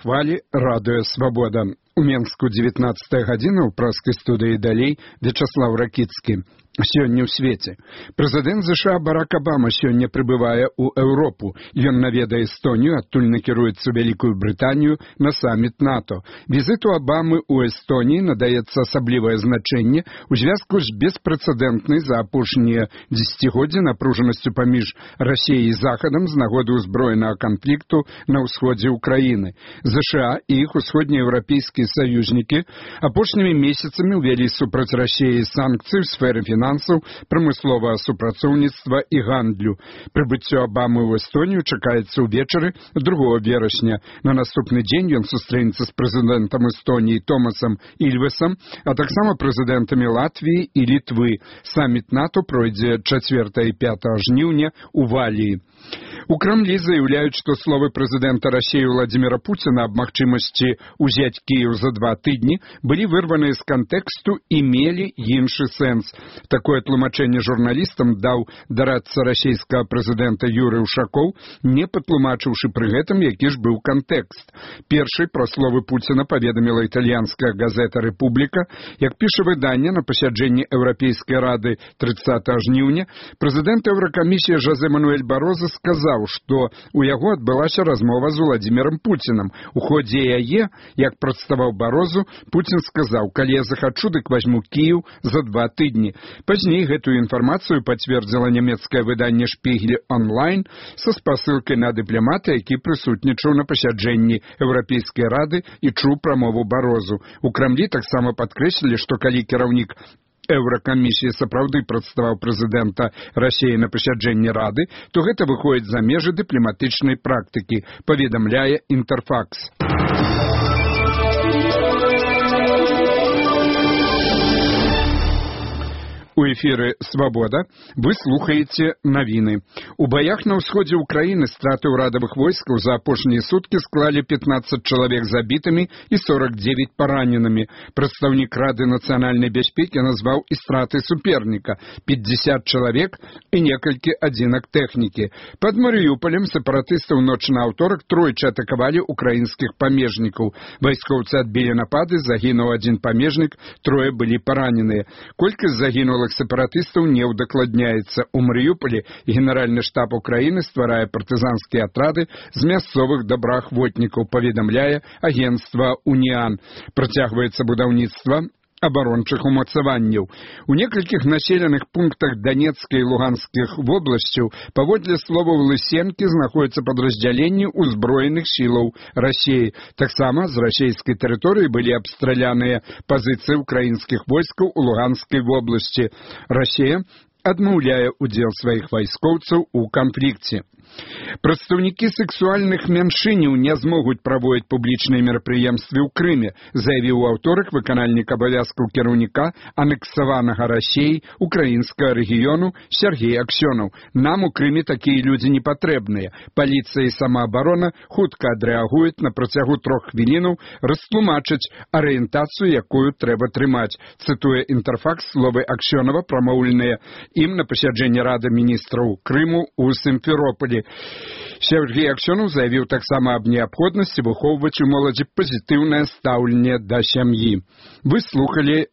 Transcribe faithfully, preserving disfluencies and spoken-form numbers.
хвалі радыё «Свабода». У Менску дзевятнаццатая гадзіна, ў праскай студыі далей Вячаслав Ракіцкі. Сёння ў свеце. Прэзідэнт ЗША Барак Абама сёння прыбывае ў Еўропу. Ён наведае Эстонію, адтуль накіруецца ў Вялікую Брытанію на саміт НАТО. Візіту Абамы ў Эстоніі надаецца асаблівае значэнне ў звязку з беспрэцэдэнтнай за апошнія дзесяцігоддзі напружанасцю паміж Расіяй і Захадам з нагоды ўзброенага канфлікту на ўсходзе ўкраіны. ЗША і іх усходнееўрапейскія саюзнікі апошнімі месяцамі ўвялі супраць Расіі санкцыі ў сферы фінансаў, прамысловага супрацоўніцтва і гандлю. Прыбыццё Абамы ў Эстонію чакаецца ўвечары другога верасня. На наступны дзень ён сустрэнецца з прэзідэнтам Эстоніі Томасам Ільвесам, а таксама прэзідэнтамі Латвіі і Літвы. Саміт НАТО пройдзе чацвёртага і пятага жніўня ў Валіі. У Крамлі заяўляюць, што словы прэзідэнта Расіі Владзіміра Пуціна аб магчымасці ўзяць Кіеў за два тыдні былі вырваныя з кантэксту і мелі іншы сэнс. Такое тлумачэнне журналістам даў дарадца расійскага прэзідэнта Юрый Ушакоў, не патлумачыўшы пры гэтым, які ж быў кантэкст. Першай пра словы Пуціна паведаміла італьянская газета «Рэпубліка». Як піша выданне, на пасяджэнні Еўрапейскай рады трыццатага жніўня прэзідэнт Еўракамісіі Жозе Мануэль Бароза сказаў, што ў яго адбылася размова з Владзімірам Пуцінам. У ходзе яе, як прадставаў Барозу, Пуцін сказаў: «Калі я захачу, дык вазьму Кіеў за два тыдні». Пазней гэтую інфармацыю пацвердзіла нямецкае выданне «Шпігель онлайн» са спасылкай на дыпламата, які прысутнічаў на пасяджэнні Еўрапейскай рады і чуў прамову Барозу. У Крамлі таксама падкрэслілі, што калі кіраўнік Еўракамісіі сапраўды прадставаў прэзідэнта Расіі на пасяджэнні рады, то гэта выходзіць за межы дыпламатычнай практыкі, паведамляе Інтэрфакс. У эфіры «Свабода» вы слухаеце навіны. У баях на ўсходзе ўкраіны страты ўрадавых войскаў за апошнія суткі склалі пятнаццаць чалавек забітымі і сорок девять параненымі. Прадстаўнік Рады нацыянальнай бяспекі назваў і страты суперніка – пятьдесят чалавек і некалькі адзінак тэхнікі. Пад Марыюполем сепаратысты ў ноч на аўторак тройчы атакавалі украінскіх памежнікаў. Вайскоўцы адбілі напады, загінуў адзін памежнік, трое былі параненыя. Колькасць загінулых сепаратыстаў не ўдакладняецца. У Марыюполі генеральны штаб Украіны стварае партызанскія атрады з мясцовых добраахвотнікаў, паведамляе агенцтва «Уніан». Працягваецца будаўніцтва абарончых умацаванняў. У некалькіх населеных пунктах Донецкай і Луганскіх вобласцяў паводле словаў Лысенкі знаходзяцца падраздзяленні ўзброеных сілаў Расіі. Таксама з расійскай тэрыторыі былі абстраляныя пазіцыі ўкраінскіх войскаў у Луганскай вобласці. Расія адмаўляе ўдзел сваіх вайскоўцаў у канфлікце. Прадстаўнікі сексуальных меншыняў не змогуць праводзіць публічныя мерапрыемствы ў Крыме, заявіў у аўторак выканальнік абавязкаў кіраўніка анексаванага Расіяй украінскага рэгіёну Сергей Аксёнаў. Нам у Крыме такія людзі не патрэбныя. Паліцыя і самаабарона хутка адрэагуюць, на працягу трох хвілінаў растлумачаць арыентацыю, якую трэба трымаць. Цытуе Інтэрфакс словы Аксёнава, прамоўленыя ім на пасяджэнні Рады міністраў Крыму ў Сімферополі. Сергей Аксёнаў заявіў таксама аб неабходнасці выхоўваць у моладзі пазітыўнае стаўленне да сям'і. Вы слухалі